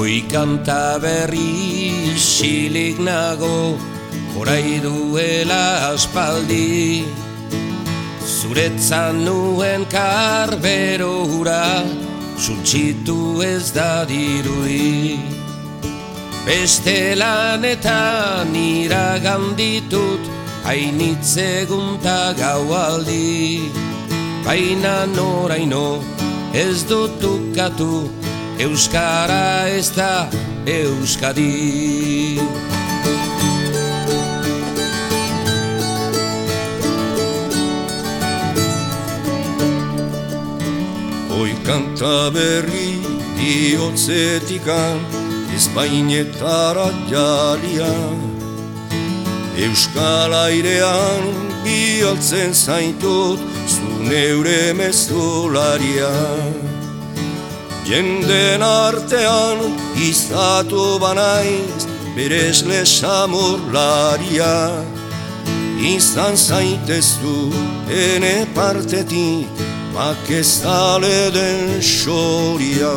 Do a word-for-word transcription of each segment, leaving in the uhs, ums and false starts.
Hoi kanta berri silik nago, orai duela aspaldi. Zuretzan nuen karbero hura, suntsitu ez da dirudi. Beste lanetan iraganditut, hainitzegunta gaualdi. Baina noraino ez dut ukatu, euskara ez da Euskadi. Hoi kanta berri diotzetikan, ezpainetara jalia. Euskal airean bialtzen zaitut, zu neure mezularia. Jenden artean izatu banaiz, beresle samurlaria. Izan zaitezu ene partetik, makezale den xoria.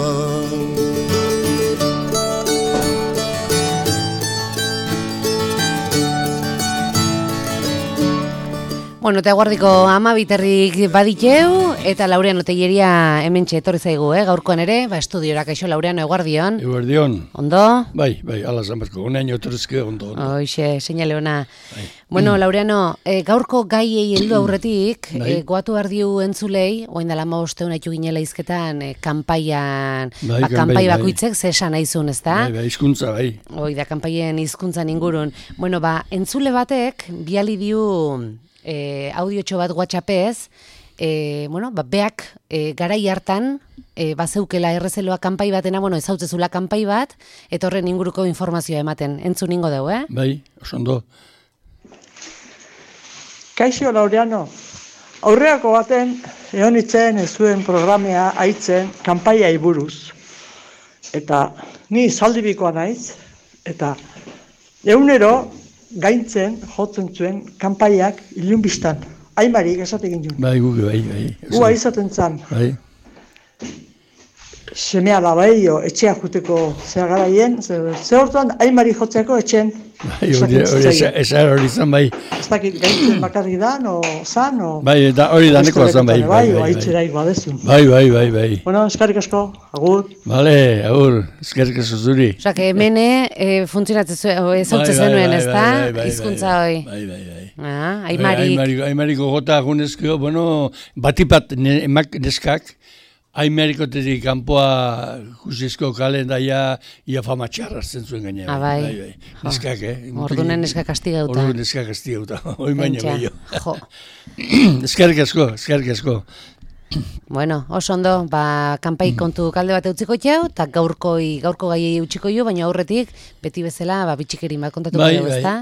Bueno, eta guardiko ama biterrik baditeu, eta Laureano Telleria hementxe etorri zaigu, eh? Gaurkoan ere, ba, estudiora, kaixo Laureano, eguardion. Eguardion. Ondo? Bai, bai, ala zanberko, unean jotorezke ondo, ondo. Hoxe, seinale ona. Bai. Bueno, Laureano, eh, gaurko gaiei heldu aurretik, bai. eh, goatu ardiu entzulei, oain dala maosteun haitu ginela izketan, eh, kanpaian, bai, ba, kanpai bakoitzek, bai. Zesan aizun, ez da? Bai, bai, hizkuntza, bai. Hoi da, kanpaien hizkuntzan ingurun. Bueno, ba, entzule batek, biali diu... E, audiotxo bat WhatsAppez, e, bueno, ba, beak e, garai hartan, e, bazeukela errezeloa kanpai batena, bueno, ezautzezula kanpai bat, eta horren inguruko informazioa ematen. Entzun ingo dugu, eh? Bai, oso ondo. Kaixo Laureano, aurreako baten, egon itzen ez zuen programea haitzen kanpaiai buruz. Eta ni zaldibikoa naiz, eta egunero, gaintzen, jotzen zuen, kanpaiak ilunbistan. Aimarik esatekin jun. Bai, gu, bai, bai. Gua izaten zan. Bai. Semea labaio, etxea juteko zea garaien, ze hortuan aimari jotzeko etxen. Bai, hori esar hori zan, bai. Ez dakit gaintzen bakarrik dan, o zan, o... Bai, eta hori danekoa zan, bai. Bai, bai, bai. Badezun. Bai, bai, bai, bai. Bueno, eskarrik asko, agur. Bale, agur, eskarrik asko zuri. Osa, que hemene eh, funtzionatzen ezautzen zenuen, ez da? Hizkuntza hoi. Bai, bai, bai. Ah, aimarik. Aimariko gota agunezko, bueno, batipat emak neskak, Aimarikotetik kanpoa jusizko kalendaia ia fama txarrazten zuen gaina. Ah, bai. Bai, bai. Neskak, eh? Ordunen neskak kastigauta. Ordunen neskak kastigauta. Hoi baina bello. Jo. Eskerrik asko, eskerrik asko. Bueno, oso ondo, ba, kanpai kontu kalde bat utziko jau, eta gaurkoi, gaurko gaiei utziko jo, baina aurretik, beti bezala, ba, bitxikerin bat kontatuko bai, dugu, ezta?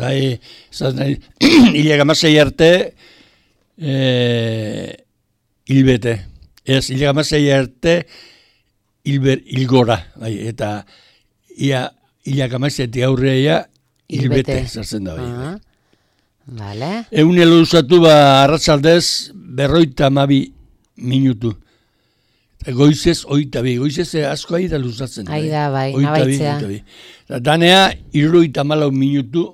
Bai, zaz nahi, hilaga masei arte, eh, hilbete. Ez, hilaga masei arte, hilber, hilgora, bai, eta ia, hilaga masei aurreia, hilbete, zartzen da, bai. Ah, vale. Egun elo usatu, ba, arratzaldez, berroita amabi minutu. Goizez, oita bi, goizez asko ahi da luzatzen. Ahi da, bai, nabaitzea. Danea, irroita malau minutu,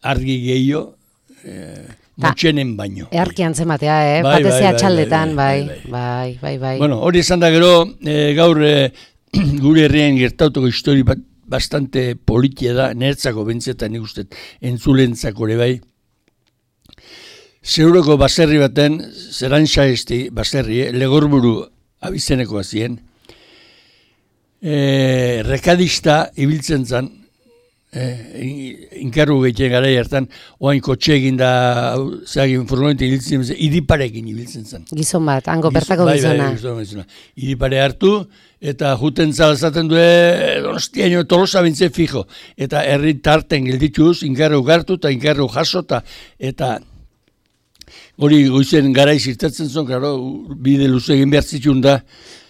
argi gehiago, eh, motxenen baino. Earkian zematea, eh? Bai, batezea bai, txaldetan, bai, bai, bai, bai, bai. Bueno, hori esan da gero, eh, gaur eh, gure herrien gertautoko histori bat bastante politia da, nertzako bentzetan nik uste, entzulentzako ere bai. Zeuroko baserri baten, zerantxa esti baserri, eh, Legorburu abizenekoa zien, eh, rekadista ibiltzen zan, Eh, inkarru gehien gara hartan, oain kotxe egin da, zagin furgonete ibiltzen zen, idiparekin ibiltzen zen. Gizon bat, hango bertako bai, gizona. Bai, bai, gizona. Idipare hartu, eta juten zalazaten du, donostiaino Tolosa bintze fijo. Eta herri tarten gildituz, inkarru gartu eta inkarru jaso, eta hori goizen gara izirtatzen zuen, claro, bide luze egin behar zitun da.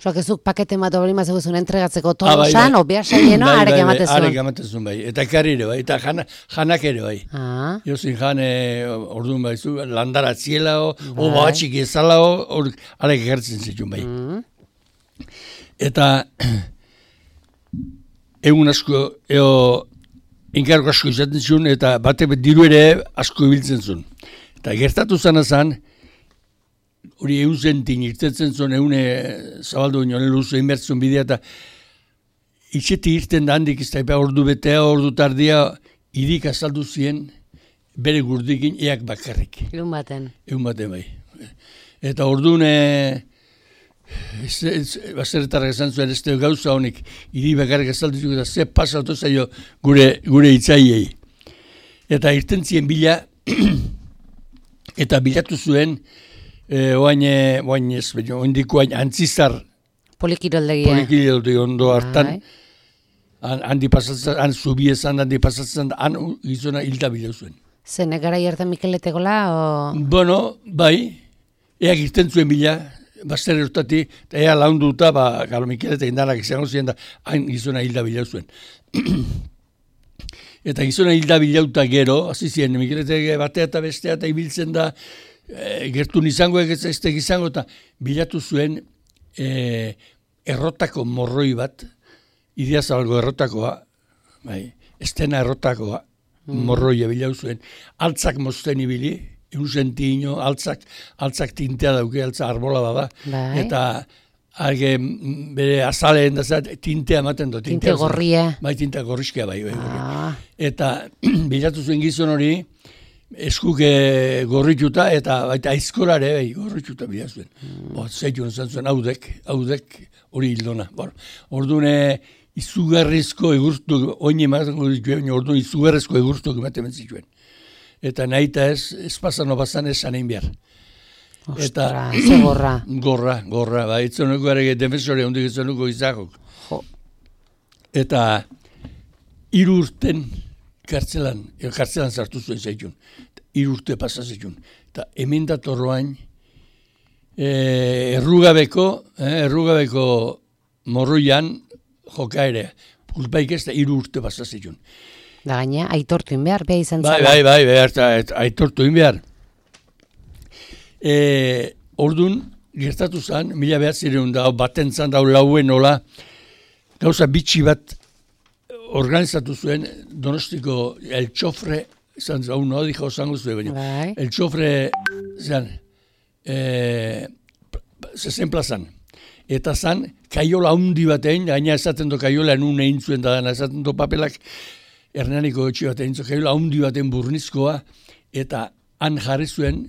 Soak ezuk pakete bat hori mazeguzun entregatzeko Tolosan, ah, obea saieno, bai, arek amatezun. Arek amatezun, bai. Eta ekarri ere, bai. Eta jana, janak ere, bai. Ah. Jozin jane, orduan baizu, landara ziela, o batxik ezala, hor arek ekartzen zitun, bai. Mm. Eta egun asko, eo, enkargo asko izaten zuen, eta bate diru ere asko ibiltzen zuen. Eta gertatu zana zan, hori egun zentin irtetzen zuen, egun zabaldu ginen luzu inbertzun bidea, eta itxeti irten da handik, ez da ordu betea, ordu tardia, idik azaldu zien, bere gurdikin eak bakarrik. Egun baten. Egun baten bai. Eta orduan, baserretarrak esan zuen, ez da gauza honik, idik bakarrik azaldu zuen, eta ze pasatu zaio gure, gure itzaiei. Eta irten zien bila, eta bilatu zuen, e, oain, oain ez, ondiko oain antzizar, Polikiroldegia. Polikiroldegia ondo hartan, handi pasatzen, han zubiezan, handi pasatzen, han gizona hilda bila zuen. Zen, gara jartan Mikeletekola, o... Bueno, bai, eak irten zuen bila, baster erotati, eta ea launduta, ba, galo Mikeletek indanak izango ziren, da, han gizona hilda bila zuen. Eta gizona hilda bilauta gero, hasi ziren, Mikeletek batea eta bestea, eta ibiltzen da, e, gertun izango, ez ez izango, eta bilatu zuen e, errotako morroi bat, Idiazabalgo errotakoa, bai, estena errotakoa, mm. morroia bilau zuen, altzak mozten ibili, egun sentiino, altzak, altzak tintea dauke, altzak arbola bada, bai. Eta arge, bere azaleen da zat, tintea ematen do. Tinte gorria. Bai, tintea gorrizkea bai. bai ah. Eta bilatu zuen gizon hori, eskuke gorrituta, eta baita aizkorare, bai, gorrituta bila zuen. Mm. Bo, zeitun zan zuen, haudek, haudek, hori hildona. Orduan, izugarrizko egurtu, oin ematen dituen, orduan izugarrizko egurtu ematen zituen. Eta nahi eta ez, ez pasan obazan ez zanein behar. Ostra, ze gorra. Gorra, gorra, ba, itzonuko ere defensore, ondik itzonuko izakok. Jo. Eta hiru urten kartzelan, kartzelan sartu zuen zaitun. Hiru urte pasazitun. Eta hemen datorroain, eh, errugabeko, eh, errugabeko morroian, jokaerea. Pulpaik ez da hiru urte pasazitun. Da gaina, aitortu inbehar, beha izan bai, zala. bai, bai, bai, aitortu inbehar. E, Ordun gertatu zen, mila behatzireun da, baten zan da, lauen nola, gauza bitxi bat organizatu zuen, Donostiko el txofre, zan zau, no, dijo, zango zuen, baina, bai. el txofre, zan, e, zezen plazan. Eta zan, kaiola handi batein, gaina esaten do kaiola nun egin zuen da, esaten do papelak, Hernaniko etxe batein zuen, kaiola handi baten burnizkoa, eta han jarri zuen,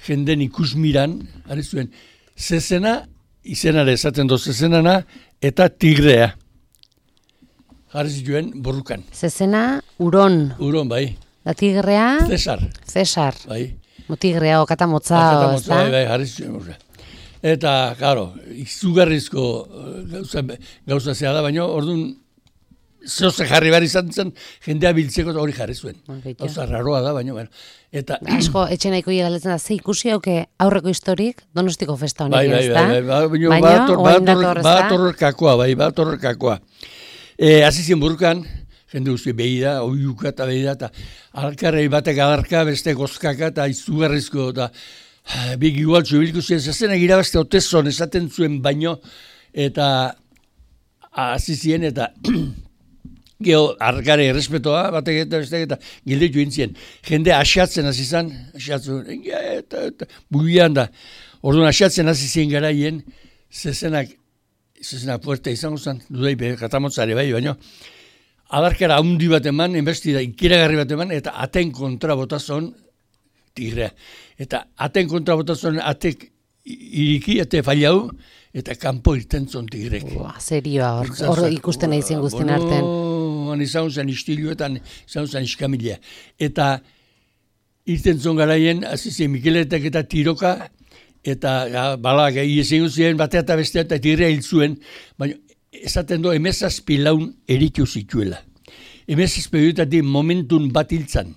jenden ikusmiran, jarri zuen, zezena, izenare esaten do zezenana, eta tigrea. Jarri zituen borrukan. Zezena, uron. Uron, bai. Da tigrea? Cesar. Cesar. Bai. Motigrea, okatamotza, ez da? Bai, bai, jarri zituen borrukan. Eta, claro, izugarrizko gauza, gauza zea da, baina orduan zehoze jarri behar izan zen, jendea biltzeko hori jarri zuen. Gauza raroa da, baina, bueno. Eta, asko, etxe nahiko galdetzen da, ze ikusi hauke aurreko historik Donostiko festa honik, bai, bai, ez da? Bai, bai, bai, baina, bat horrekakoa, bai, bat horrekakoa. E, Azizien burrukan, jende guzti behi da, oiuka eta behi da, eta alkarrei batek adarka, beste gozkaka, eta izugarrizko, eta bik igualtzu bilku ziren, zazen egira beste otezon esaten zuen baino, eta azizien, eta geho, arkare errespetoa, batek eta beste eta gildetu intzien. Jende asiatzen azizan, asiatzen, eta, eta, bugian da. Orduan asiatzen azizien garaien, zezenak, zezenak puerta izango zen, dudai, katamotzare bai, baino, adarkara handi bat eman, enbestida, ikiragarri bat eman, eta aten kontra botazon, tigrea. Eta aten kontra botazon, atek iriki, ate fallau, eta kanpo irten zon tigrek. Ua, serioa, hor, hor ikusten nahi zien guztien arten. Bueno, izan zen istiluetan, izan zen iskamilea. Eta irten zon garaien, azizien Mikeletek eta tiroka, eta ja, balak, iesen guztien, batea eta bestea, eta tigrea hil zuen, baina esaten do, emezazpi laun eritu zituela. Emezazpi horietatik momentun bat hiltzan.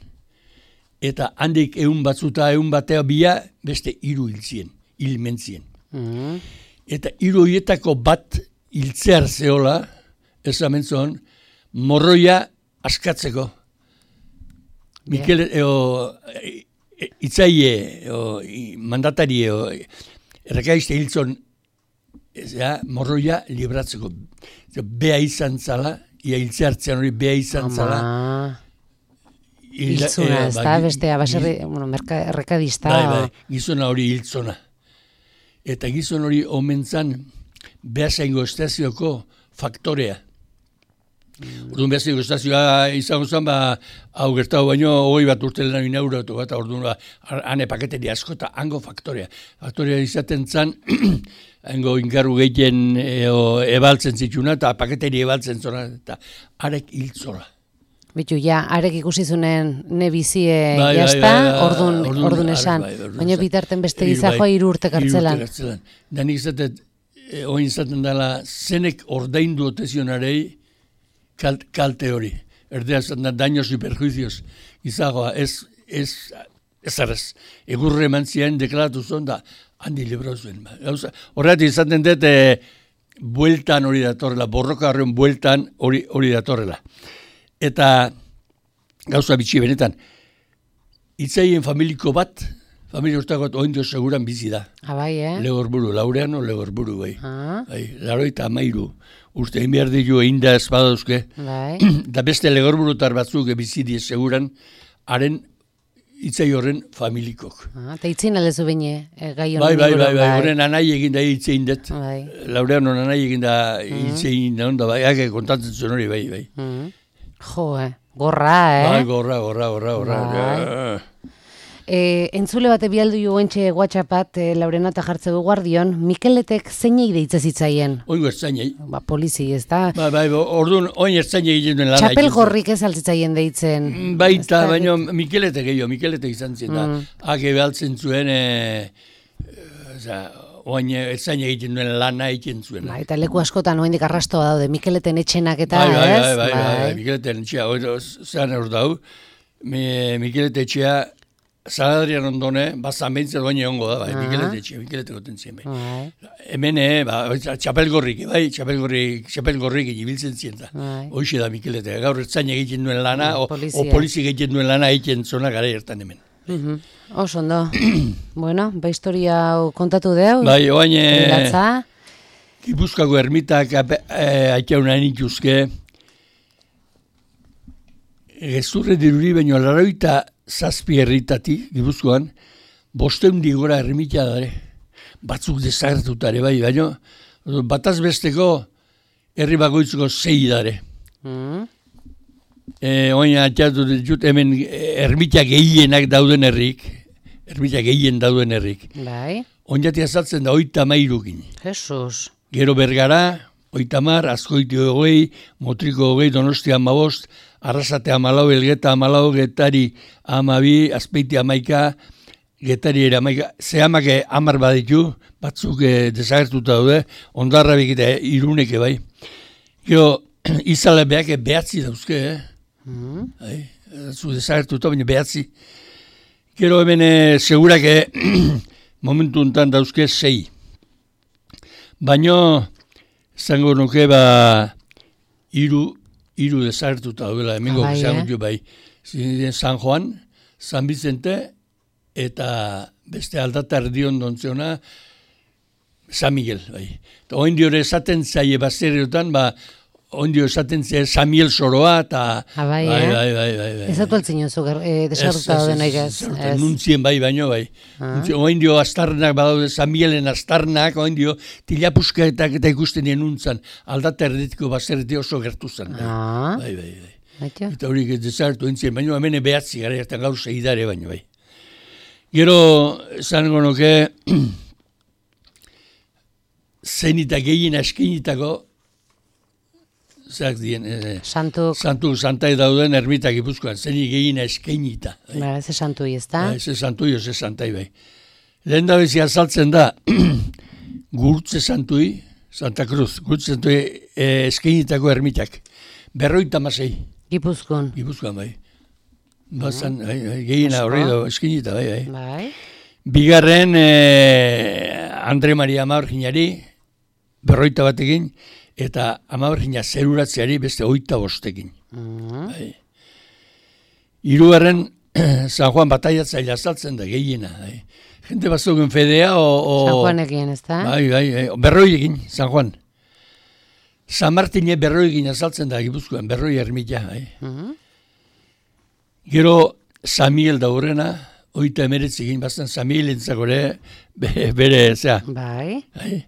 Eta handik egun batzuta, egun batea bia, beste hiru hiltzien, hilmentzien. Mm. Eta hiru horietako bat hiltzear zeola, ez amentzon, morroia askatzeko. Yeah. Mikel, eo, itzaie, eo, mandatarie, errekaizte hiltzon ez ja, morroia libratzeko. Bea izan zala, ia hiltze hartzean hori bea izan zala. Hiltzuna, ez da, bestea, baserri, bueno, errekadista. Bai, bai, gizona hori hiltzona. Eta gizon hori omen zan, Beasaingo estazioko faktorea. Orduan Beasaingo estazioa izango zen, ba, hau gertatu baino, hogei bat urte lehena inauguratu bat, orduan, ba, hane paketeri asko eta hango faktorea. Faktorea izaten zan, hango inkarru gehien ebaltzen zituna, eta paketeri ebaltzen zona, eta arek hiltzora. Bitu, ja, arek ikusi zunen ne bizie bai, jazta, bai, bai, ordun, ordun, ordun esan. Bai, bai, baina bitarten beste gizajoa bai, hiru urte kartzelan. Hiru urte kartzelan. Danik izatet, e, oin izaten dela, zenek ordaindu otezionarei kalt, kalte hori. Erdea zaten da, daños y perjuicios. Gizajoa, ez, ez, ez arrez. Egurre eman ziren deklaratu zuen da, handi librau zuen. Horretik izaten dut, e, bueltan hori datorrela, borroka horren bueltan hori, hori datorrela. Eta gauza bitxi benetan, itzaien familiko bat, familia urtako bat oindio seguran bizi da. Ah, bai, eh? Legorburu, Laureano Legorburu, bai. Ah. Bai, laro eta amairu. Urte, egin behar ditu egin da espadazke. Bai. Da beste Legorburutar batzuk bizi die seguran, haren itzai horren familikok. Ah, eta itzin aldezu bine, e, gai honen. Bai, bai, bai, bai, horren anai egin da itzein dut. Bai. Laureano anai egin da itzein da, onda, bai, ake kontatzen zuen hori, bai, bai. Mm. Jo, eh? Gorra, eh? Bai, gorra, gorra, gorra, gorra. Bai. E, entzule bate bialdu jo entxe WhatsAppat e, Laurenata jartze du guardion, Mikeletek zeinei deitze zitzaien? Oingo ertzainei. Ba, polizi, ez da? Ba, bai, orduan, oin ertzainei egiten duen lana. Txapel gorrik ez altzitzaien deitzen. Baita, baina Mikeletek gehiago, Mikeletek izan zen da. Mm. Hake behaltzen zuen, e, oza, oin ertzainei egiten duen lana egiten zuen. Ba, eta leku askotan oindik arrastoa daude, Mikeleten etxenak eta, bai, bai, ez? Bai, bai, bai, bai, Mikeleten etxea, zean hor dau, Mikelete etxea, Zaladrian ondone, bazan behintzat doain egongo da, bai, Mikelete etxea, Mikelete goten zien, bai. Hemen, ba, txapelgorrik, bai, txapelgorrik, txapelgorrik ibiltzen zien da. Hoxe da Mikelete, gaur ertzain egiten duen lana, o polizi egiten duen lana egiten zona gara ertan hemen. Oso ondo. Bueno, ba historia kontatu deu. Bai, oain, Gipuzkoako ermitak aitzaunan ituzke, gezurre diruri baino laroita zazpi herritatik, Gipuzkoan, bosteundi gora ermita dare. Batzuk desagertutare, bai, baino, bataz besteko herri bakoitzeko zei dare. Mm. E, oin atxatu ditut, hemen ermita gehienak dauden herrik, ermita gehien dauden herrik. Bai. Oinati azaltzen da oita mairukin. Jesus. Gero Bergara, oitamar, Azkoitio hogei, Motriko hogei, Donostia amabost, Arrasate amalau, Elgeta amalau, Getari amabi, Azpeiti amaika, Getari ere amaika, zehamake amar baditu, batzuk eh, desagertuta daude, Ondarrabik eta Iruneke bai. Gero, izale behak behatzi dauzke, eh? Mm -hmm. Zu desagertuta, baina behatzi. Gero hemen eh, segurake momentu enten dauzke sei. Baina, zango nuke ba, iru, iru desagertuta duela, hemengo ah, bai, bai. San Juan, San Vicente, eta beste aldata erdion dontzeona, San Miguel, bai. Eta oin diore esaten zaie baserriotan, ba, oin dio esaten zaie San Miguel soroa, eta... Ah, bai, bai, eh? bai, bai, bai, bai. Ez atu altzen jozu, eh, desagertuta dauden egaz. Nuntzien bai, baino, bai. Ah. Oin dio astarnak badaude, San Miguelen astarnak, oin dio tilapuskaetak eta ikusten dien nuntzan, aldata erditiko baserriti oso gertu zen. Bai, ah. bai, bai. bai. Eta horiek desagertu entzien, baino, hemen behatzi gara, eta gaur segidare baino, bai. Gero, zango nuke, zenita gehien askinitako, zak dien, eh, Santuk. Santuk, Santai dauden ermitak Gipuzkoan, zeni gehien eskenita. Ba, ez Santui, ez da? Ba, ez Santui, ez Santai, bai. Lehen da bezi azaltzen da, Gurtze Santui, Santa Cruz, Gurtze Santui eh, eskenitako ermitak. Berroita masei. Gipuzkoan. Gipuzkoan, bai. Bazan, mm. bai, bai, gehiena horri da, eskenita, bai, bai. Bai. Bigarren, eh, Andre Maria Amaberginari, berroita batekin, eta Amabergina zeruratzeari beste oita bostekin. Mm. Bai. Hirugarren, San Juan bataiatzaile azaltzen da, gehiena. Bai. jente bazuken fedea, o... o San Juanekin, ez da? Bai, bai, bai, berroi egin, San Juan. San Martine berroi egin azaltzen da, Gipuzkoan, berroi ermita, bai. Uh-huh. Gero, San Miguel da horrena, oita emeretzi egin, bastan San Miguel entzakore, bere, zera. Bai. Bai.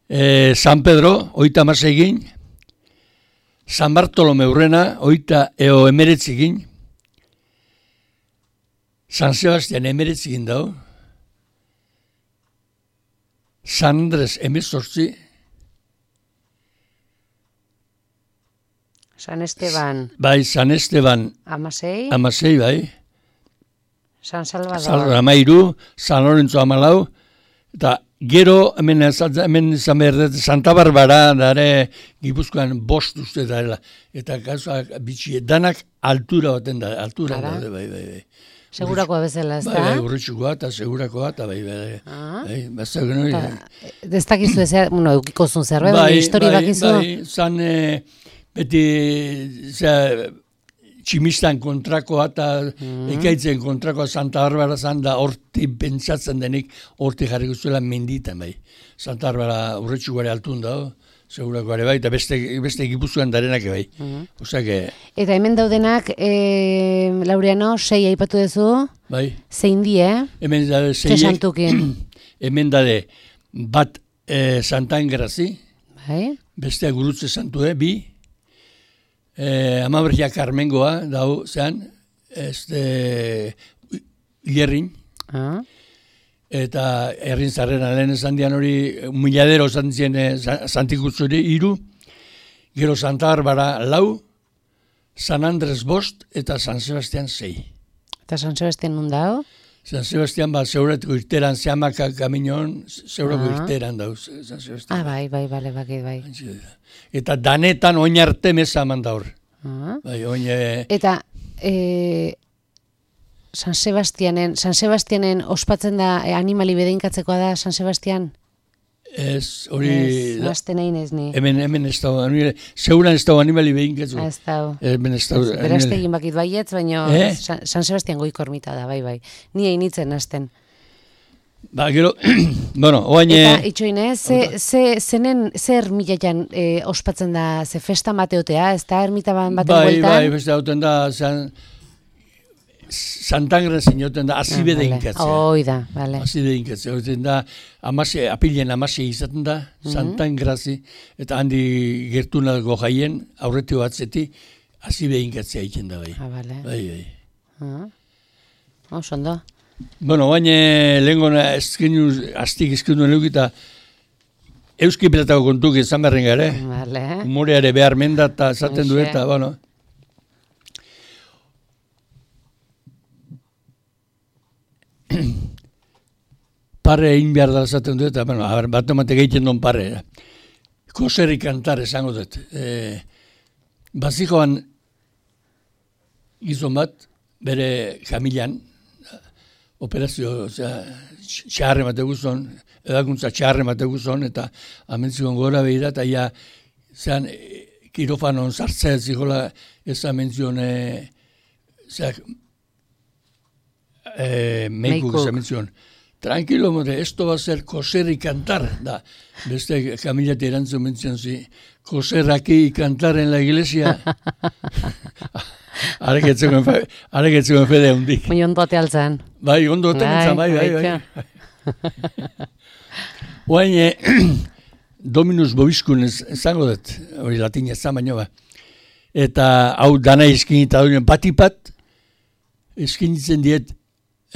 E, San Pedro, oita amase egin, San Bartolome urrena, oita eo emeretzi egin, San Sebastian emeretzi egin dau, San Andres emezortzi, San Esteban. Bai, San Esteban Amasei. amasei, bai. San Salvador. Salvador amairu, San Lorenzo amalau, eta gero, hemen, hemen izan behar dut, Santa Barbara, dare, Gipuzkoan bost uste dela, eta gauzak bitxi, danak altura baten da, altura Ara. daude, bai, bai, bai. Segurakoa bezala, ez da? Bai, bai, urritxukoa eta segurakoa, eta bai, bai, Ah. bai, bazak genoi. Ez dakizu ez, bueno, eukikozun zerbait, Bai, baina histori bai, bakizu. bai, zan, eh, beti, zera, tximistan kontrakoa eta Mm. ekaitzen kontrakoa Santa Barbara zan da horti pentsatzen denik horti jarriko zuela menditan, bai. Santa Barbara urretxukoare altun da, segurakoare bai, eta beste, beste Gipuzkoan darenak bai. Mhm. Osea que, Eta hemen daudenak, e, Laureano, sei aipatu duzu, bai, zein die, hemen da ze zeiek, santukin, hemen dade bat eh, Santa Engrazi, bai? bestea gurutze santue, bi, eh, Amabergia Carmengoa, dau, zean, este, Ierrin, Ah. eta herrin zarrera lehen esan dian hori, miladero esan zien eh, Santikutzuri iru, gero Santa Barbara lau, San Andres bost, eta San Sebastian sei. Eta San Sebastian nun dau? San Sebastian ba, zeuretiko irteran, zehamaka kaminon, zeurako Ah. irteran dauz, San Sebastian. Ah, bai, bai, bale, bakit, bai. Eta danetan oin arte meza eman da hor. Ah. Bai, oin... eh, Eta e, San Sebastianen, San Sebastianen ospatzen da e, animali bedeinkatzekoa da San Sebastian? Ez, hori... Ez, nazten egin ez ni. Hemen, hemen ez dago, zeuran ez dago animali behinketzu. Ez dau. Hemen ez dago... Berazte egin bakit baietz, baina Eh? San, San Sebastian goiko ermita da, bai, bai. Ni egin itzen nazten. Ba, gero, bueno, oain... Eta itxoine, ze, ze, zenen, ze ermitaian e, ospatzen da, ze festa mateotea, ez da ermita baten bai, bueltan? bai, beste hauten da, san, Santangren zinoten da, azibe Ah, da vale. inkatzea. Hoi da, bale. Azibe da inkatzea, hauten da, amase, apilen amase izaten da, Mhm. Santangrazi, eta handi gertunako jaien, aurretio batzeti, azibe inkatzea egiten da, bai. Ah, bale. Bai, bai. Ah. Oso ondo. Bueno, baina lehenko ezkenu, aztik ezkenu leukita, Euski Pilatako kontuk izan berren gare, Bale. humoreare behar menda eta esaten du Hoxe. eta, bueno. Parre egin behar da esaten du eta, bueno, a ber, bat emate egiten duen parre. Koserri kantar esango dut. E, bazikoan gizon bat, bere familian, operazio, osea, txarre mate guzon, edakuntza txarre mate guzon, eta amentzikon gora behira, eta ja, zean, e, kirofanon sartzea zikola, ez amenzion, e, zeak, e, meikuk ez amenzion. Tranquilo, more, esto va a ser coser y cantar, da. Beste familia erantzun mentzen zi, coser aquí y cantar en la iglesia. Areketzeko fede hundik. Moi ondo ate altzan. Bai, ondo oten bai, bai, bai. Oain, Dominus Bobiskun ezango dut, hori latina ezan baino ba. Eta hau dana eskinita duen batipat, eskinitzen diet,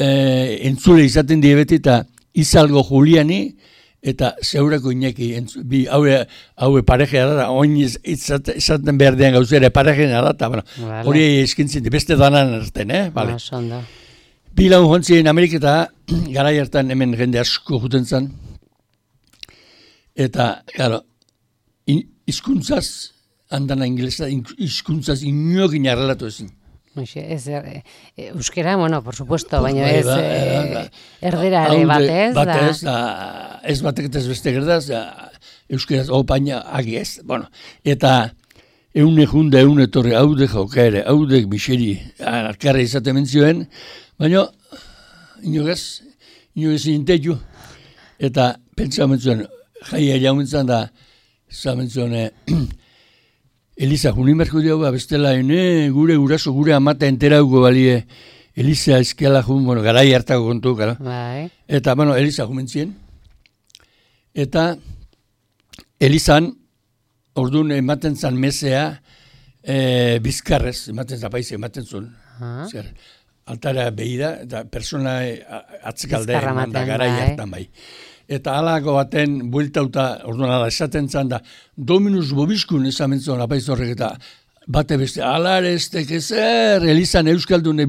eh, entzule izaten die beti, eta Izalgo Juliani, eta zeurako Iñaki, entzu, bi, haue, haue parejea da, oin izaten, izaten behar dean gauzere parejea da, eta bueno, Vale. hori eskintzen di, beste danan erten, eh? Vale. Oso ondo. Bi lagun jontzien Ameriketa, garai hartan hemen jende asko juten zen, eta, claro, hizkuntzaz, handana ingelesa, hizkuntzaz inokin arrelatu ezin. Hoxe, ez, e, e, euskera, bueno, por supuesto, Pues baina bai, ez ba, e, ba, erdera ere Haude batez, da. batez, da, ez batek eta ez beste gerdaz, da, euskeraz, opaina, agi ez, bueno, eta eune junda, eune torre, haude jaukaere, haudek biseri, alkarra izaten mentzioen, baina, inogaz, ino ezin tetu, eta pentsamentzuen, jaia jaumentzan da, zamentzuen, Eliza, junimerko diau, bestela, ne, gure guraso, gure amata enterauko balie, Eliza eskeala jun, bueno, garai hartako kontu, gara. Bai. Eta, bueno, Eliza jumentzien. Eta, Elizan, orduan ematen zan mesea, e, bizkarrez, ematen zapaize, ematen zuen. Zer, altara behida, eta persona atzekalde eman da garai hartan bai. Eta halako baten bueltauta, orduan ala esaten zan da, Dominus Bobiskun esamentzuen apaiz horrek eta bate beste, alare ez tekezer, Elizan euskaldune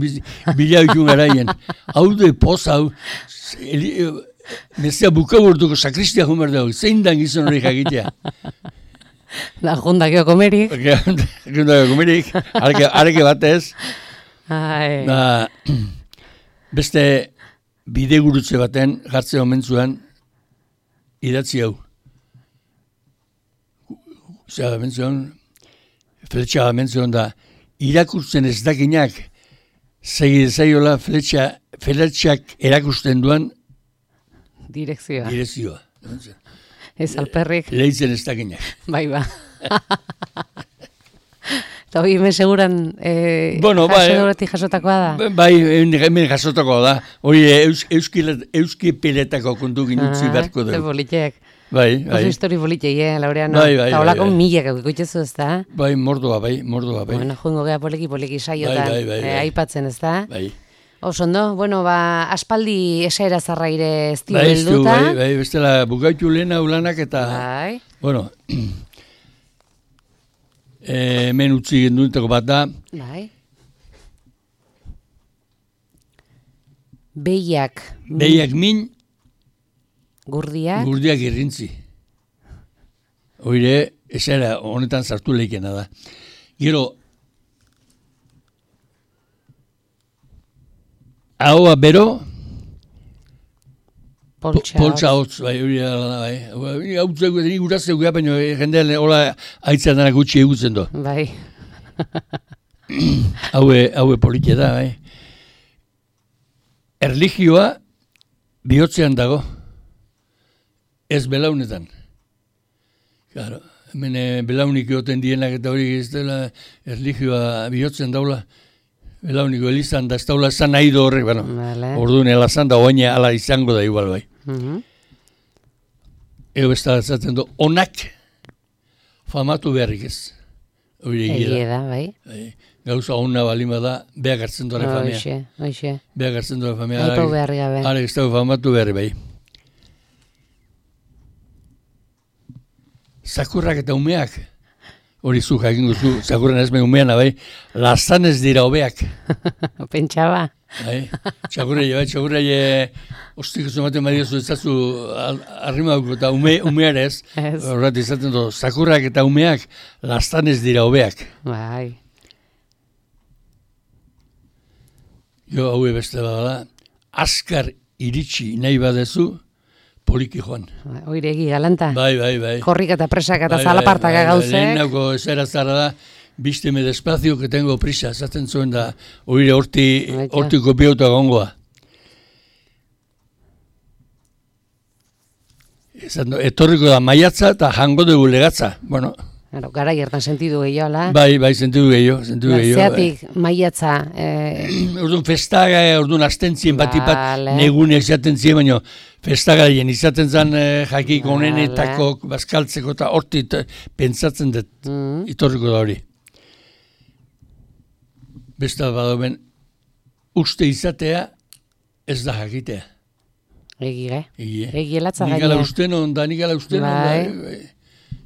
bilaikun garaien. Hau de poz hau, mesea bukaburtuko sakristia jumer dugu, zein dan gizon hori jakitea. Da jundakio komerik. Jundakio komerik, areke batez. Ai. Da, beste bidegurutze baten jartze omen zuen, idatzi hau. Zer, menzion, fletxa menzion da, irakurtzen ez dakinak, segi zaiola fletxa, fletxak erakusten duan direkzioa. Direkzioa. Ez alperrik. Lehitzen ez dakinak. Bai, ba. Eta hori hemen seguran eh, bueno, jasotatik jasotakoa da? Bai, hemen jasotakoa da. Hori euski, euski peletako kontu ginutzi ah, beharko dugu. Bolitxek. Bai, bai. Oso histori bolitxei, eh, Laureano. Bai, bai, eta holako bai, bai. milak eukutxezu, ez da? Bai, mordoa, bai, mordoa, bai. Bueno, joingo gea poliki, poliki saiotan, bai, bai, bai, bai. eh, aipatzen, ez da? Bai. Oso ondo, bueno, ba, aspaldi esaera zarraire ez dio bai, helduta. Bai, bai, bestela bukaitu lehena ulanak eta... Bai. Bueno... E, hemen utzi gendunetako bat da. Bai. Behiak. Behiak min. Gurdiak. Gurdiak irrintzi. Oire, esera honetan sartu leikena da. Gero, ahoa bero, poltsa hotz, bai, hori da, bai. Hau zego, deni gurazeu gara, baina jendean hola aitzan dara gutxi egutzen do. Bai. Haue, haue politia da, bai. Erligioa bihotzean dago. Ez belaunetan. Claro, hemen belaunik egoten dienak eta hori ez dela erligioa bihotzean daula. Belauniko elizan da ez daula zan nahi do horrek, bueno, vale. Orduan elazan da oaina ala izango da igual bai. Uh-huh. Ego besta zaten du, onak famatu beharrik ez. Egie da, bai. bai. Gauza hona balima da, beak hartzen duare famea. Oixe, oixe. Beak hartzen duare famea. Aipau beharri gabe. Ara, ez dago famatu beharri bai. Zakurrak eta umeak, hori zu jakin guzu, zakurren ez me umeana bai, lazan ez dira hobeak. Pentsaba. Bai, txakurreie, bai, txakurreie, ostik ez ematen badiozu ez zazu arrimauko eta ume, umearez, horret izaten du, zakurrak eta umeak lazan ez dira hobeak. Bai. Jo, haue beste badala, askar iritsi nahi badezu, poliki joan. Oiregi galanta. Bai, bai, bai. Korrik eta presak eta bai, zalapartak bai, bai, gauzek. Lehenako zera zara da, bísteme despacio que tengo prisa, zaten zuen da, oire horti, horti kopiauta gongoa. Etorriko da maiatza eta jango dugu legatza. Bueno, Claro, gara hiertan sentidu gehiagoa. Bai, bai, sentidu gehiago, sentidu gehiago. Zeatik, maiatza... Eh... Orduan festaga, orduan astentzien bat ipat negunek izaten zien, baina festagaien izaten zen eh, jakik onenetako bazkaltzeko eta hortit pentsatzen dut, mm. itorriko da hori. Besta badoben, uste izatea ez da jakitea. Egire, Egie. egielatza gaine. Nikala usten onda, nikala usten onda. Bai. Bai.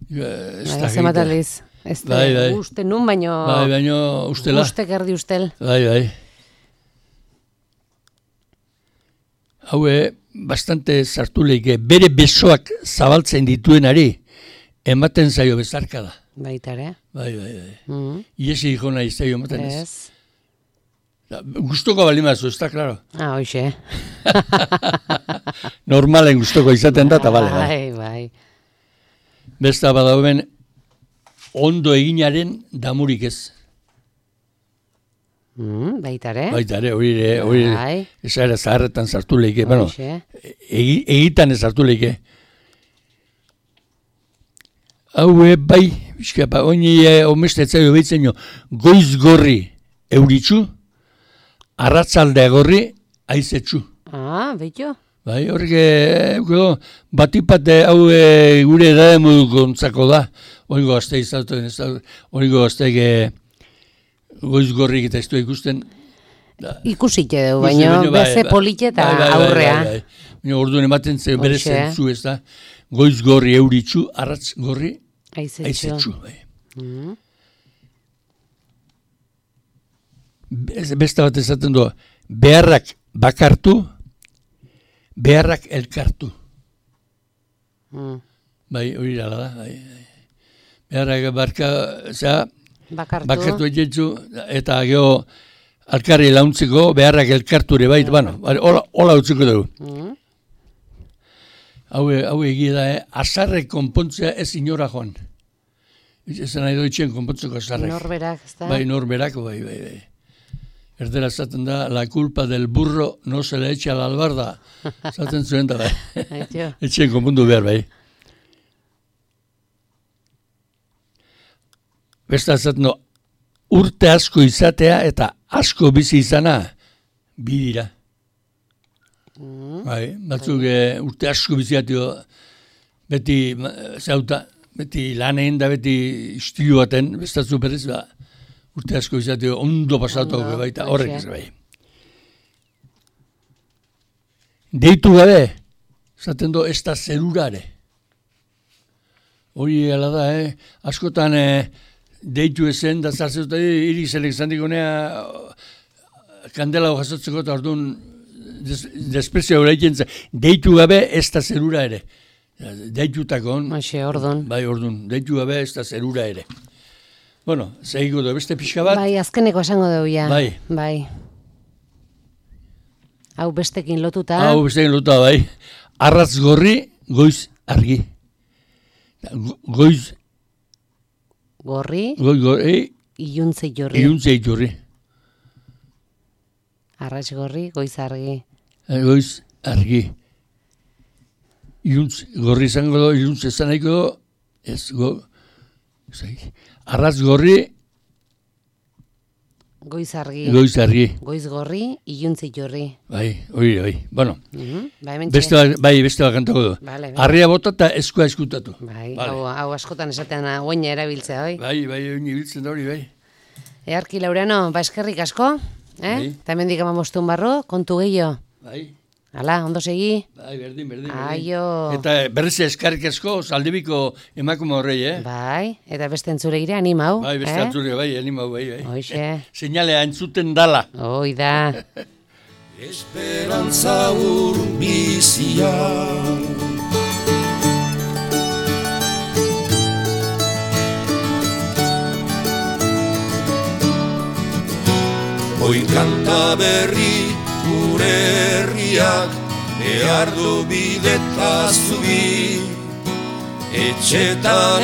Ez da Zemataliz. Ez da, bai, bai. uste nun, baino... Bai, baino ustela. Ustek erdi ustel. Bai, bai. Haue, bastante sartu leike, bere besoak zabaltzen dituenari, ematen zaio bezarka da. Baitare. Bai, bai, bai. Mm-hmm. Iesi hiko nahi zaio ematen ez. Ez. Gustoko balimazu, ez da, klaro. Ah, hoxe. Normalen gustoko izaten da, eta bale. Bai, bai. Besta badauen ondo eginaren damurik ez. Mm, baita ere. Baita ere, hori ere, hori Bai. esaera zaharretan sartu leike, bueno, Horixe. egi, egitan ez sartu leike. Hau e, bai, bizkapa, oini e, omestetzaio behitzen jo, goiz gorri euritxu, arratzaldea gorri aizetxu. Ah, beito. Bai, horrek, e, batipate hau e, gure edade modu gontzako da, oigo gazte izatu, oigo gazte e, goiz gorrik eta ez du ikusten. Da. Ikusite du, baina beze polite eta aurrea. Bai, bai, bai. Baina orduan ematen zen bere Hoxe. zentzu ez da, goiz gorri euritxu, arratz gorri Aizetxu. aizetxu. Bai. Mm. Be- Beste bat esaten du, beharrak bakartu, beharrak elkartu. Mm. Bai, hori dala da. Bai, bai. Beharrak barka, zera, Bakartu. bakartu egetzu, eta geho alkarri launtzeko beharrak elkartu ere bait, bueno, hola, hola utziko dugu. Mm. Hau, hau egia da, eh? Azarrek konpontzea ez inora joan. Ez nahi doitzen konpontzeko azarrek. Norberak, ez da? Bai, norberako, bai, bai, bai. Erdera esaten da, la culpa del burro no se le echa a la albarda. Esaten zuen da, bai. Aitio. Etxen konpondu behar, bai. Besta esaten du, urte asko izatea eta asko bizi izana, bi dira. Mm. Bai, batzuk e, urte asko biziatio, beti ma, zauta, beti lan egin da, beti istilu baten, bestatzu berriz, ba, urte asko biziatio ondo pasatu Ondo, baita, hoxe. horrek ez bai. Deitu gabe, zaten du, ez da zerurare. Hori ala da, eh? Askotan eh, deitu ezen, da zartzetuta, irik zelek zandikonea, kandela jasotzeko eta orduan, Des, desprezio horrekin, deitu gabe ez da zerura ere. Deitutakon. Hoxe, ordun. Bai, ordun. Deitu gabe ez da zerura ere. Bueno, zehiko du, beste pixka bat. Bai, azkeneko esango dugu ja. Bai. Bai. Hau bestekin lotuta. Hau bestekin lotuta, bai. Arratz gorri, goiz argi. Go, goiz... Gorri, Goiz gorri, iluntze jorri. iluntzei jorri. Arratz gorri, goiz argi. Goiz argi. Iluntz, gorri izango do, iluntz ezan nahiko do, ez go... Arratz gorri, Goiz argi. goiz argi. Goiz gorri, iluntze jorri. Bai, hori, bai. Bueno, Mhm. Ba, hemen beste bat, bai, beste bat kantako du. Vale, vale. Arria bota eta eskua eskutatu. Bai, Vale. hau, hau askotan esaten oina erabiltzea, bai. Bai, bai, hori ibiltzen da hori, bai. Earki Laureano, ba eskerrik asko, eh? Bai. Eta hemendik amamostun barro, kontu gehiago. Bai, Hala, ondo segi. bai, berdin, berdin. berdin. Aio. Eta berriz eskarrik asko, zaldebiko emakume horrei, eh? Bai, eta beste entzule gire animau. Bai, beste eh? atzure, bai, animau, bai, bai. Hoxe. Seinalea entzuten dala. Hoi da. Esperantza urbizia. Oin kanta berri gure herriak, behar du bideta zubi, etxetan